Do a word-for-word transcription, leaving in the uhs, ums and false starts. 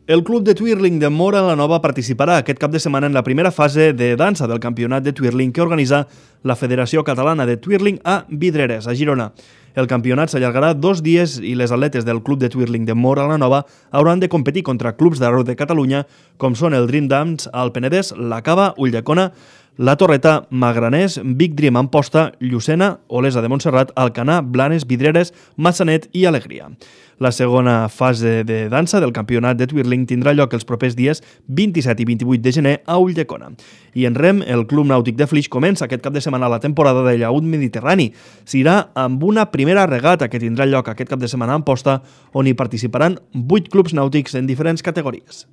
El club de twirling de Móra la Nova participarà aquest cap de setmana en la primera fase de dansa del campionat de twirling que organitza la Federació Catalana de Twirling a Vidreres, a Girona. El campionat s'allargarà dos dies i les atletes del club de twirling de Móra la Nova hauran de competir contra clubs d'arreu de Catalunya com són el Dream Dance al Penedès, la Cava, Ulldecona, la Torreta, Magraners, Big Dream Amposta, Llucena, Olesa de Montserrat, Alcanar, Blanes, Vidreres, Massanet i Alegria. La segona fase de dansa del campionat de twirling tindrà lloc els propers dies vint-i-set i vint-i-vuit de gener a Ulldecona. I en rem, el Club Nàutic de Flix comença aquest cap de setmana la temporada de llaüt mediterrani. S'irà amb una primera regata que tindrà lloc aquest cap de setmana a Amposta, on hi participaran vuit clubs nàutics en diferents categories.